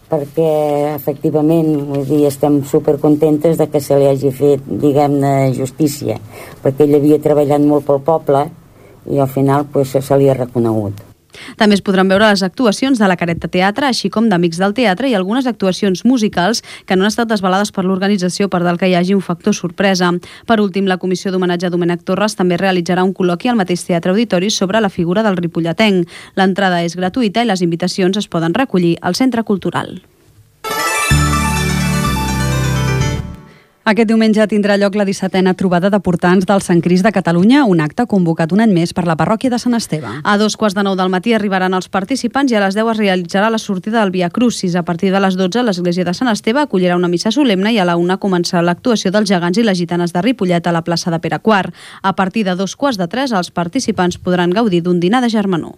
perquè efectivament, vull dir, estem supercontentes de que se li hagi fet, diguem-ne, justícia, perquè ell havia treballat molt pel poble i al final se li ha reconegut. També es podran veure les actuacions de la Careta Teatre, així com d'Amics del Teatre i algunes actuacions musicals que no han estat desvelades per l'organització per tal que hi hagi un factor sorpresa. Per últim, la Comissió d'Homenatge a Domènec Torres també realitzarà un col·loqui al mateix Teatre Auditori sobre la figura del ripolletenc. L'entrada és gratuïta i les invitacions es poden recollir al Centre Cultural. Aquest diumenge tindrà lloc la 17a trobada de portants del Sant Crist de Catalunya, un acte convocat un any més per la parròquia de Sant Esteve. A 2:15 del matí arribaran els participants i a les 10 es realitzarà la sortida del Via Crucis. A partir de les 12, l'església de Sant Esteve acollirà una missa solemne i a la 1 començarà l'actuació dels gegants i les gitanes de Ripollet a la plaça de Pere IV. A partir de 2:15, els participants podran gaudir d'un dinar de germanor.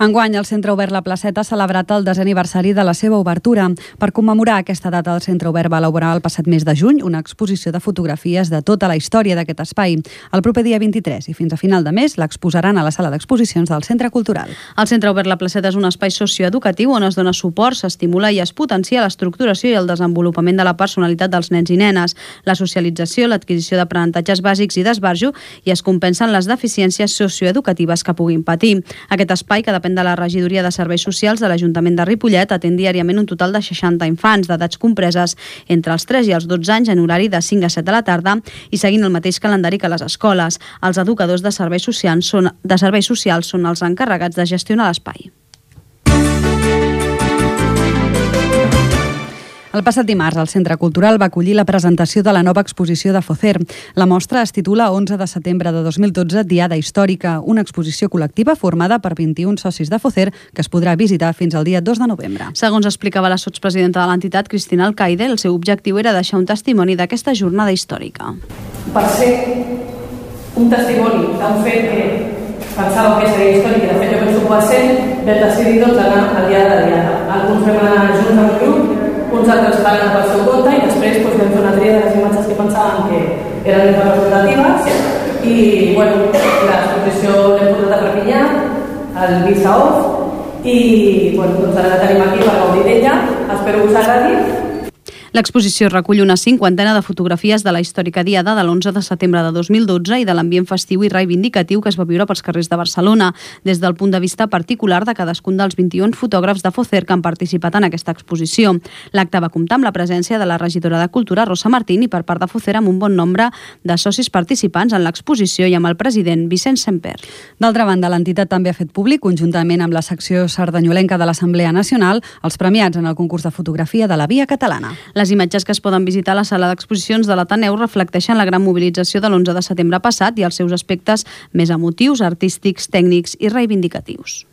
Enguany, el Centre Obert La Placeta ha celebrat el 10è aniversari de la seva obertura. Per commemorar aquesta data, el Centre Obert va elaborar el passat mes de juny una exposició de fotografies de tota la història d'aquest espai. El proper dia 23 i fins a final de mes l'exposaran a la sala d'exposicions del Centre Cultural. El Centre Obert La Placeta és un espai socioeducatiu on es dona suport, s'estimula i es potencia l'estructuració i el desenvolupament de la personalitat dels nens i nenes, la socialització, l'adquisició d'aprenentatges bàsics i d'esbarjo i es compensen les deficiències socioeducatives que puguin patir. Aquest espai, que depèn de la Regidoria de Serveis Socials de l'Ajuntament de Ripollet, atén diàriament un total de 60 infants d'edats compreses entre els 3 i els 12 anys en horari de 5 a 7 de la tarda i seguint el mateix calendari que les escoles. Els educadors de serveis socials són els encarregats de gestionar l'espai. El passat dimarts, el Centre Cultural va acollir la presentació de la nova exposició de Focer. La mostra es titula 11 de setembre de 2012, Diada Històrica, una exposició col·lectiva formada per 21 socis de Focer que es podrà visitar fins al dia 2 de novembre. Segons explicava la sotspresidenta de l'entitat, Cristina Alcaide, el seu objectiu era deixar un testimoni d'aquesta jornada històrica. Per ser un testimoni d'un fet que pensava que seria històric i de fet jo penso que va ser, vam decidir anar al dia de la Diada. Alguns vam anar junts amb el grup, uns altres van anar pel seu compte i després vam fer una tria de les imatges que pensàvem que eren representatives i l'exposició l'hem portat a Perpinyà, al Bissaoff i ara la tenim aquí per gaudir d'ella. Espero que us agradi. L'exposició recull una 50ena de fotografies de la històrica Diada de l'11 de setembre de 2012 i de l'ambient festiu i reivindicatiu que es va viure pels carrers de Barcelona, des del punt de vista particular de cadascun dels 21 fotògrafs de Focer que han participat en aquesta exposició. L'acte va comptar amb la presència de la regidora de Cultura, Rosa Martín, i per part de Focer amb un bon nombre de socis participants en l'exposició i amb el president Vicent Semper. D'altra banda, l'entitat també ha fet públic, conjuntament amb la secció sardanyolenca de l'Assemblea Nacional, els premiats en el concurs de fotografia de la Via Catalana. Les imatges que es poden visitar a la sala d'exposicions de l'Ateneu reflecteixen la gran mobilització de l'11 de setembre passat i els seus aspectes més emotius, artístics, tècnics i reivindicatius.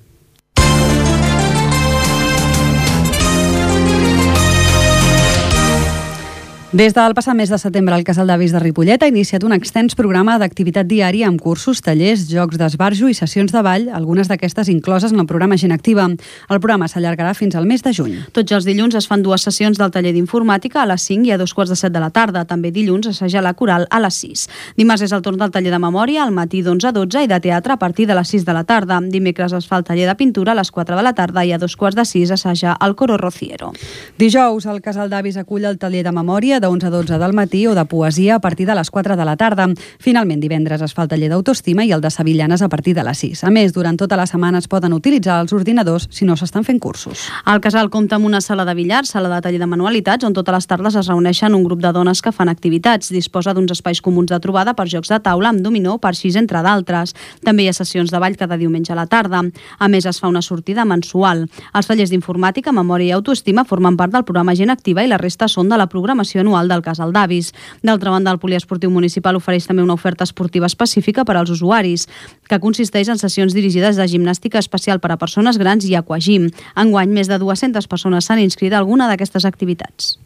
Des del passat mes de setembre, el Casal d'Avis de Ripollet ha iniciat un extens programa d'activitat diària amb cursos, tallers, jocs d'esbarjo i sessions de ball, algunes d'aquestes incloses en el programa Gent Activa. El programa s'allargarà fins al mes de juny. Tots els dilluns es fan 2 sessions del taller d'informàtica a les 5 i a 2:15 de la tarda. També dilluns assaja la coral a les 6. Dimarts és el torn del taller de memòria al matí d'11 a 12 i de teatre a partir de les 6 de la tarda. Dimecres es fa el taller de pintura a les 4 de la tarda i a 5:15 assaja el coro Rociero. Dijous, el Casal d'Avis acull el taller de memòria de 11 a 12 del matí o de poesia a partir de les 4 de la tarda. Finalment, divendres es fa el taller d'autoestima i el de sevillanes a partir de les 6. A més, durant tota la setmana es poden utilitzar els ordinadors si no s'estan fent cursos. El casal compta amb una sala de billar, sala de taller de manualitats, on totes les tardes es reuneixen un grup de dones que fan activitats. Disposa d'uns espais comuns de trobada per jocs de taula amb dominó, parxís, entre d'altres. També hi ha sessions de ball cada diumenge a la tarda. A més, es fa una sortida mensual. Els tallers d'informàtica, memòria i autoestima formen part del programa Gent Activa i la resta són de la programació anual del Casal d'Avis. D'altra banda, el Poliesportiu Municipal ofereix també una oferta esportiva específica per als usuaris, que consisteix en sessions dirigides de gimnàstica especial per a persones grans i aquagym. Enguany, més de 200 persones s'han inscrit a alguna d'aquestes activitats.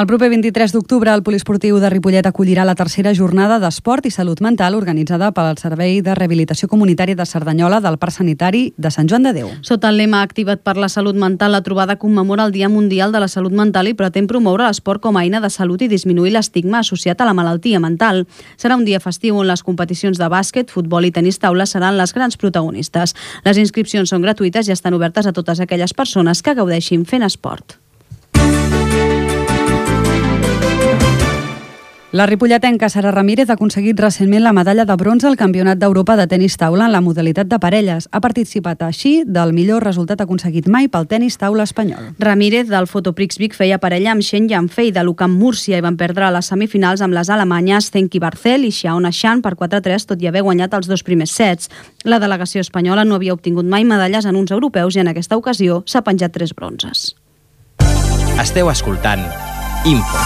El proper 23 d'octubre, el Poliesportiu de Ripollet acollirà la tercera jornada d'esport i salut mental organitzada pel Servei de Rehabilitació Comunitària de Cerdanyola del Parc Sanitari de Sant Joan de Déu. Sota el lema Activa't per la salut mental, la trobada commemora el Dia Mundial de la Salut Mental i pretén promoure l'esport com a eina de salut i disminuir l'estigma associat a la malaltia mental. Serà un dia festiu on les competicions de bàsquet, futbol i tenis taula seran les grans protagonistes. Les inscripcions són gratuïtes i estan obertes a totes aquelles persones que gaudeixin fent esport. La ripolletenca Sara Ramírez ha aconseguit recentment la medalla de bronze al Campionat d'Europa de tenis taula en la modalitat de parelles. Ha participat així del millor resultat aconseguit mai pel tenis taula espanyol. Ramírez, del Fotoprix Vic, feia parella amb Shen Yanfei de l'UCAM Múrcia i van perdre a les semifinals amb les alemanyes Zenki Barcel i Xiaona Shan per 4-3, tot i haver guanyat els 2 primers sets. La delegació espanyola no havia obtingut mai medalles en uns europeus i en aquesta ocasió s'ha penjat 3 bronzes. Esteu escoltant Info.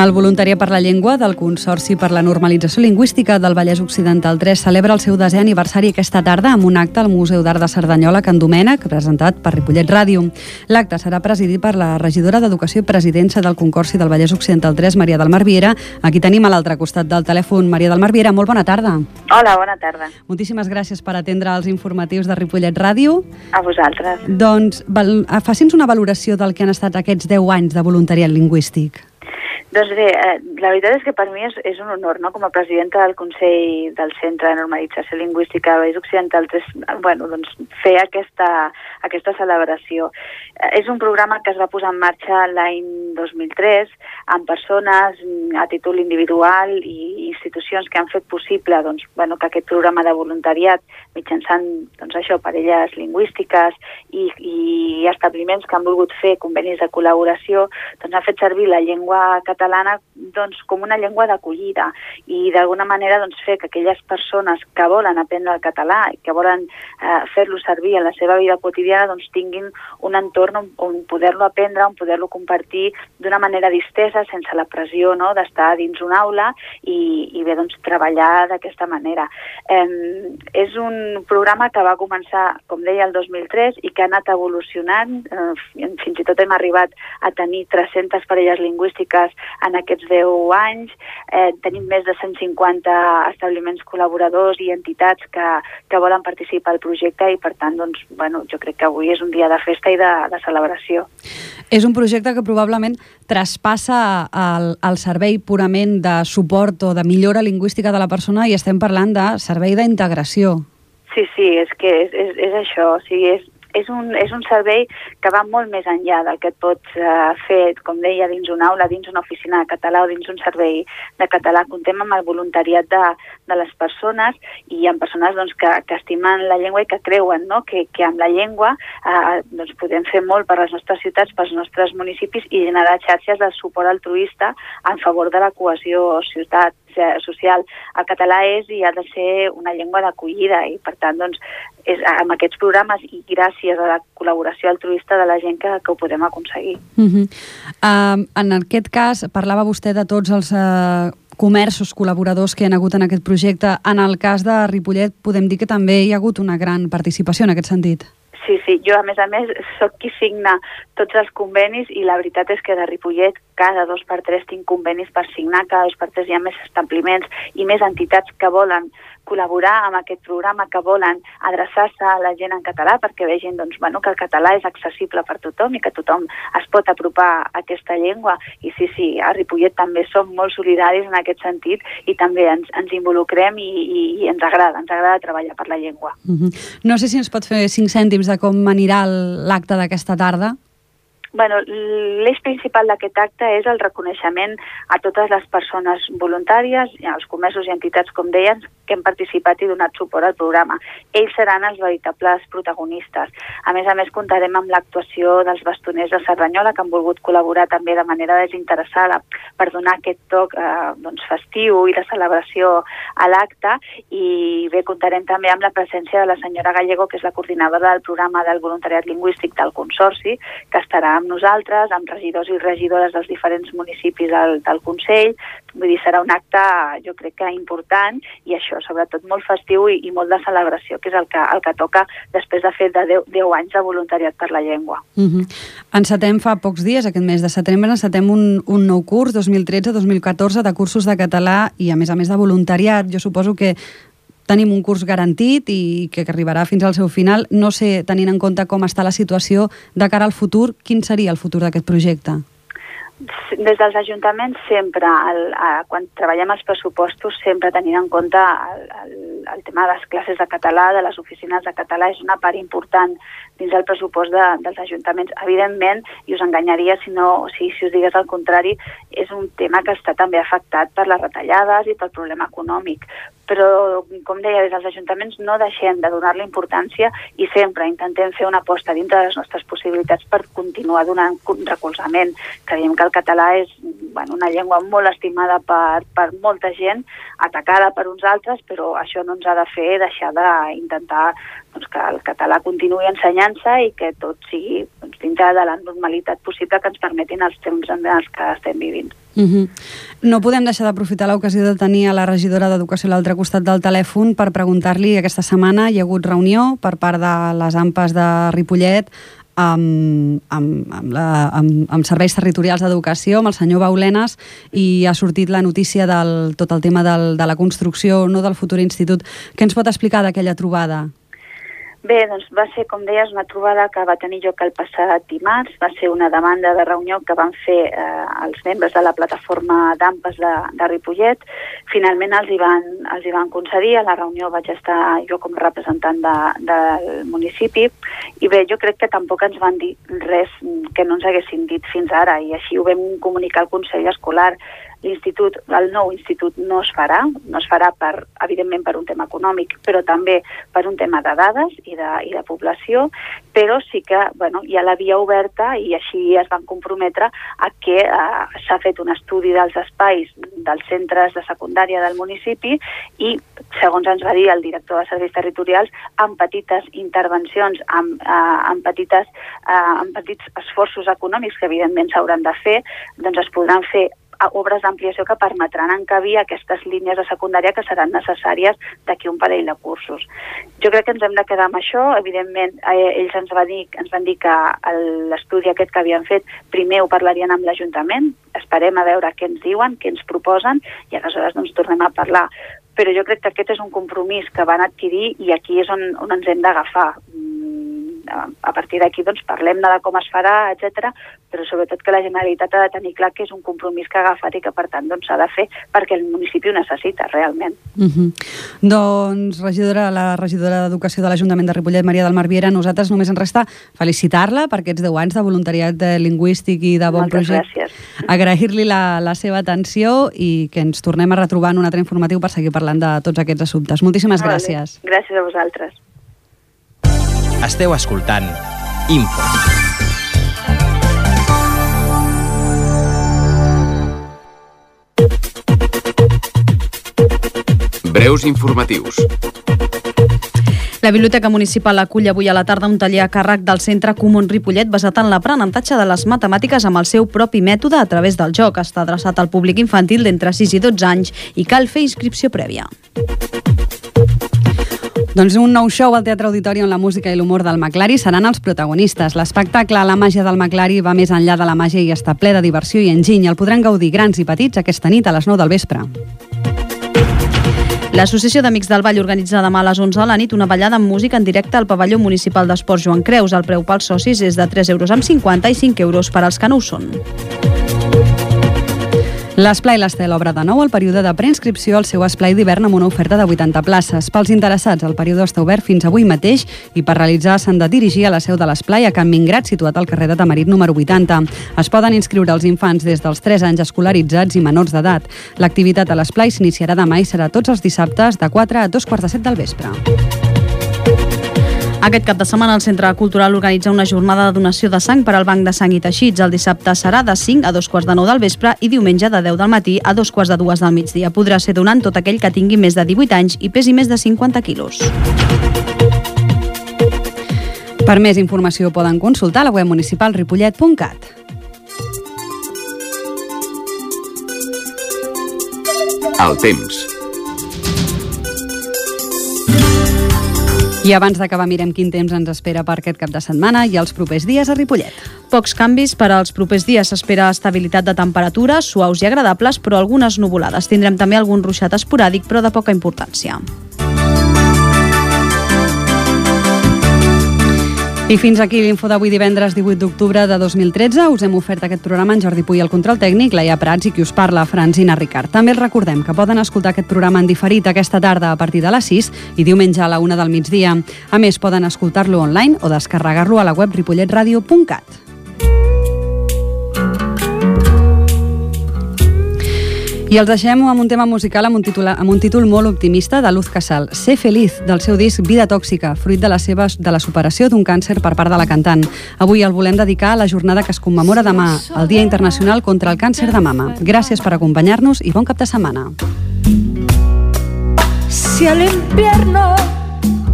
El El Voluntariat per la Llengua del Consorci per la Normalització Lingüística del Vallès Occidental 3 celebra el seu 10è aniversari aquesta tarda amb un acte al Museu d'Art de Cerdanyola Can Domènec, presentat per Ripollet Ràdio. L'acte serà presidit per la regidora d'Educació i presidenta del Consorci del Vallès Occidental 3, Maria del Mar Viera. Aquí tenim a l'altre costat del telèfon Maria del Mar Viera. Molt bona tarda. Hola, bona tarda. Moltíssimes gràcies per atendre els informatius de Ripollet Ràdio. A vosaltres. Doncs faci'ns una valoració del que han estat aquests 10 anys de voluntariat lingüístic. Doncs bé, la veritat és que per mi és un honor, no?, com a presidenta del Consell del Centre de Normalització Lingüística del Vallès Occidental 3, doncs, fer aquesta celebració. És un programa que es va posar en marxa l'any 2003 amb persones a títol individual i institucions que han fet possible doncs, que aquest programa de voluntariat mitjançant parelles lingüístiques i establiments que han volgut fer convenis de col·laboració, doncs ha fet servir la llengua catalana com una llengua d'acollida i d'alguna manera fer que aquelles persones que volen aprendre el català i que volen fer-lo servir en la seva vida quotidiana tinguin un entorn on poder-lo aprendre, on poder-lo compartir d'una manera distesa, sense la pressió d'estar dins una aula i treballar d'aquesta manera. És un programa que va començar, com deia, el 2003 i que ha anat evolucionant. Fins i tot hem arribat a tenir 300 parelles lingüístiques en aquests 10 anys. Tenim més de 150 establiments col·laboradors i entitats que volen participar al projecte i, per tant, jo crec que avui és un dia de festa i de celebració. És un projecte que probablement traspassa el servei purament de suport o de millora lingüística de la persona i estem parlant de servei d'integració. Sí, és que és això, o sigui, és un servei que va molt més enllà del que et pots fer, com deia, dins una aula, dins una oficina de català o dins un servei de català. Contem amb el voluntariat de les persones i amb persones que estimen la llengua i que creuen que amb la llengua podem fer molt per les nostres ciutats, pels nostres municipis i generar xarxes de suport altruista en favor de la cohesió social. El català és i ha de ser una llengua d'acollida i, per tant, és amb aquests programes i gràcies a la col·laboració altruista de la gent que ho podem aconseguir. En aquest cas, parlava vostè de tots els comerços col·laboradors que hi ha hagut en aquest projecte. En el cas de Ripollet podem dir que també hi ha hagut una gran participació en aquest sentit. Sí, jo a més soc qui signa tots els convenis i la veritat és que de Ripollet cada 2 per 3 tinc convenis per signar, cada 2 per 3 hi ha més establiments i més entitats que volen col·laborar amb aquest programa, que volen adreçar-se a la gent en català perquè vegin que el català és accessible per tothom i que tothom es pot apropar a aquesta llengua. I sí, a Ripollet també som molt solidaris en aquest sentit i també ens involucrem i ens agrada treballar per la llengua. No sé si ens pot fer 5 cèntims de com anirà l'acte d'aquesta tarda. L'eix principal d'aquest acte és el reconeixement a totes les persones voluntàries, als comerços i entitats, com deien, que han participat i donat suport al programa. Ells seran els veritables protagonistes. A més, comptarem amb l'actuació dels bastoners de Cerdanyola, que han volgut col·laborar també de manera desinteressada per donar aquest toc festiu i de celebració a l'acte. I bé, comptarem també amb la presència de la senyora Gallego, que és la coordinadora del programa del voluntariat lingüístic del Consorci, que estarà amb nosaltres, amb regidors i regidores dels diferents municipis del Consell. Vull dir, serà un acte, jo crec que important, i això, sobretot molt festiu i molt de celebració, que és el que toca després de fer 10 anys de voluntariat per la llengua. Encetem fa pocs dies, aquest mes de setembre, encetem un nou curs, 2013-2014, de cursos de català i, a més de voluntariat. Jo suposo que tenim un curs garantit i que arribarà fins al seu final. No sé, tenint en compte com està la situació de cara al futur, quin seria el futur d'aquest projecte? Des dels ajuntaments sempre, quan treballem els pressupostos, sempre tenint en compte el tema de les classes de català, de les oficines de català, és una part important dins del pressupost dels ajuntaments. Evidentment, i us enganyaria si us digués el contrari, és un tema que està també afectat per les retallades i pel problema econòmic. Però, com deia, des dels ajuntaments no deixem de donar-li importància i sempre intentem fer una aposta dintre de les nostres possibilitats per continuar donant recolzament. Creiem que el català és una llengua molt estimada per molta gent, atacada per uns altres, però això no ens ha de fer deixar d'intentar que el català continuï ensenyant-se i que tot sigui dintre de la normalitat possible que ens permetin els temps en els que estem vivint. No podem deixar d'aprofitar l'ocasió de tenir a la regidora d'Educació a l'altre costat del telèfon per preguntar-li, aquesta setmana hi ha hagut reunió per part de les AMPAs de Ripollet amb serveis territorials d'educació, amb el senyor Baulenes, i ha sortit la notícia del tot el tema de la construcció del futur institut. Què ens pot explicar d'aquella trobada? Bé, doncs va ser, com deies, una trobada que va tenir lloc el passat dimarts. Va ser una demanda de reunió que van fer els membres de la plataforma d'AMPAs de Ripollet. Finalment els hi van concedir. A la reunió vaig estar jo com representant del municipi i bé, jo crec que tampoc ens van dir res que no ens haguessin dit fins ara i així ho vam comunicar al Consell Escolar. L'institut, el nou institut no es farà evidentment per un tema econòmic, però també per un tema de dades i de població, però sí que hi ha la via oberta i així es van comprometre a que s'ha fet un estudi dels espais dels centres de secundària del municipi i, segons ens va dir el director de serveis territorials, amb petites intervencions, amb petits esforços econòmics que evidentment s'hauran de fer, doncs es podran fer obres d'ampliació que permetran encabir aquestes línies de secundària que seran necessàries d'aquí un parell de cursos. Jo crec que ens hem de quedar amb això. Evidentment, ells ens van dir que l'estudi aquest que havien fet primer ho parlarien amb l'Ajuntament. Esperem a veure què ens diuen, què ens proposen i aleshores doncs tornem a parlar. Però jo crec que aquest és un compromís que van adquirir i aquí és on ens hem d'agafar. A partir d'aquí doncs parlem de com es farà, etc. Però sobretot que la Generalitat ha de tenir clar que és un compromís que ha agafat i que per tant s'ha de fer perquè el municipi ho necessita realment. Doncs la regidora d'Educació de l'Ajuntament de Ripollet, Maria del Mar Viera, nosaltres només ens resta felicitar-la per aquests 10 anys de voluntariat lingüístic i de bon projecte. Agrair-li la seva atenció i que ens tornem a retrobar en un altre informatiu per seguir parlant de tots aquests assumptes. Moltíssimes gràcies. Gràcies a vosaltres. Esteu escoltant Info. Breus informatius. La Biblioteca Municipal acull avui a la tarda un taller a càrrec del Centre Comú Ripollet basat en l'aprenentatge de les matemàtiques amb el seu propi mètode a través del joc. Està adreçat al públic infantil d'entre 6 i 12 anys i cal fer inscripció prèvia. Doncs un nou show al Teatre Auditori on la música i l'humor del Maclari seran els protagonistes. L'espectacle La màgia del Maclari va més enllà de la màgia i està ple de diversió i enginy. El podran gaudir grans i petits aquesta nit a les 9 del vespre. L'Associació d'Amics del Vall organitza demà a les 11 de la nit una ballada amb música en directe al pavelló municipal d'Esports Joan Creus. El preu pels socis és de 3,50 € i 5 € per als que no ho són. L'Esplai l'Estel obre de nou el període de preinscripció al seu esplai d'hivern amb una oferta de 80 places. Pels interessats, el període està obert fins avui mateix i per realitzar s'han de dirigir a la seu de l'Esplai a Can Mingrat, situat al carrer de Tamarit número 80. Es poden inscriure els infants des dels 3 anys escolaritzats i menors d'edat. L'activitat a l'Esplai s'iniciarà demà i serà tots els dissabtes de 4 a 2:45 del vespre. Aquest cap de setmana el Centre Cultural organitza una jornada de donació de sang per al Banc de Sang i Teixits. El dissabte serà de 5 a 2:45 del vespre i diumenge de 10 del matí a 2:45 del migdia. Podrà ser donant tot aquell que tingui més de 18 anys i pesi més de 50 quilos. Per més informació poden consultar la web municipal ripollet.cat. El temps. I abans d'acabar mirem quin temps ens espera per aquest cap de setmana i els propers dies a Ripollet. Pocs canvis per als propers dies. S'espera estabilitat de temperatures, suaus i agradables, però algunes nuvolades. Tindrem també algun ruixat esporàdic, però de poca importància. I fins aquí l'info d'avui divendres 18 d'octubre de 2013. Us hem ofert aquest programa en Jordi Puy al control tècnic, Laia Prats i qui us parla, Francina Ricard. També els recordem que poden escoltar aquest programa en diferit aquesta tarda a partir de les 6 i diumenge a la 1 del migdia. A més, poden escoltar-lo online o descarregar-lo a la web ripolletradio.cat. I els deixem amb un tema musical amb un títol molt optimista de Luz Casal, Sé feliz, del seu disc Vida tòxica, fruit de la superació d'un càncer per part de la cantant. Avui el volem dedicar a la jornada que es commemora demà, el Dia Internacional contra el Càncer de Mama. Gràcies per acompanyar-nos i bon cap de setmana. Si el invierno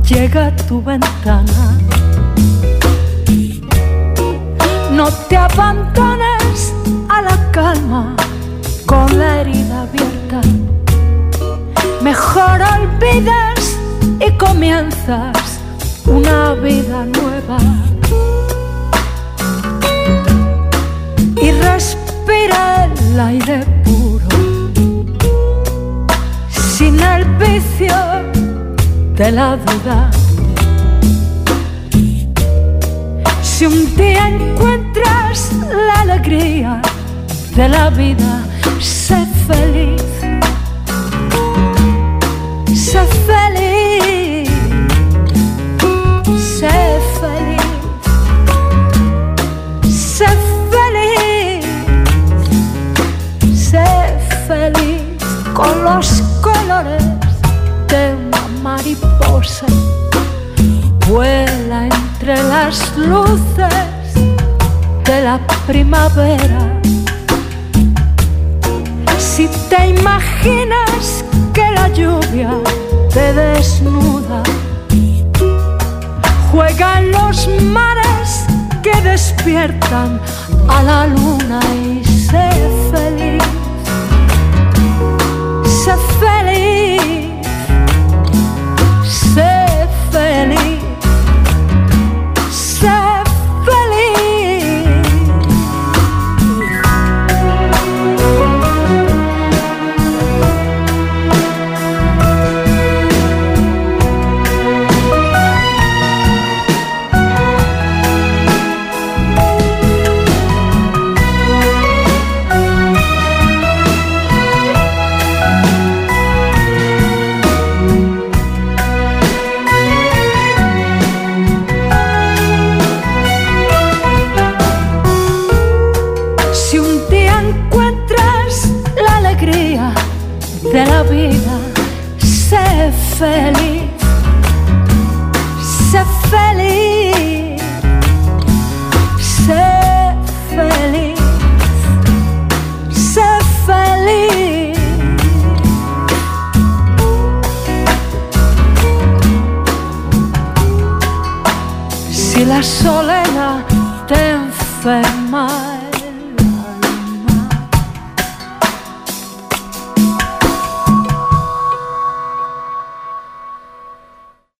llega a tu ventana. No te abandones a la calma con la herida abierta. Mejor olvidas y comienzas una vida nueva. Y respira el aire puro, sin el vicio de la duda. Si un día encuentras la alegría de la vida, sé feliz. Sé feliz. Sé feliz. Sé feliz. Sé feliz con los colores de una mariposa. Vuela entre las luces de la primavera. Si te imaginas que la lluvia te desnuda, juega en los mares que despiertan a la luna y sé feliz. Sé feliz. Sé feliz. Sé de la vida, sé feliz, sé feliz, sé feliz, sé feliz. Si la soledad te enferma,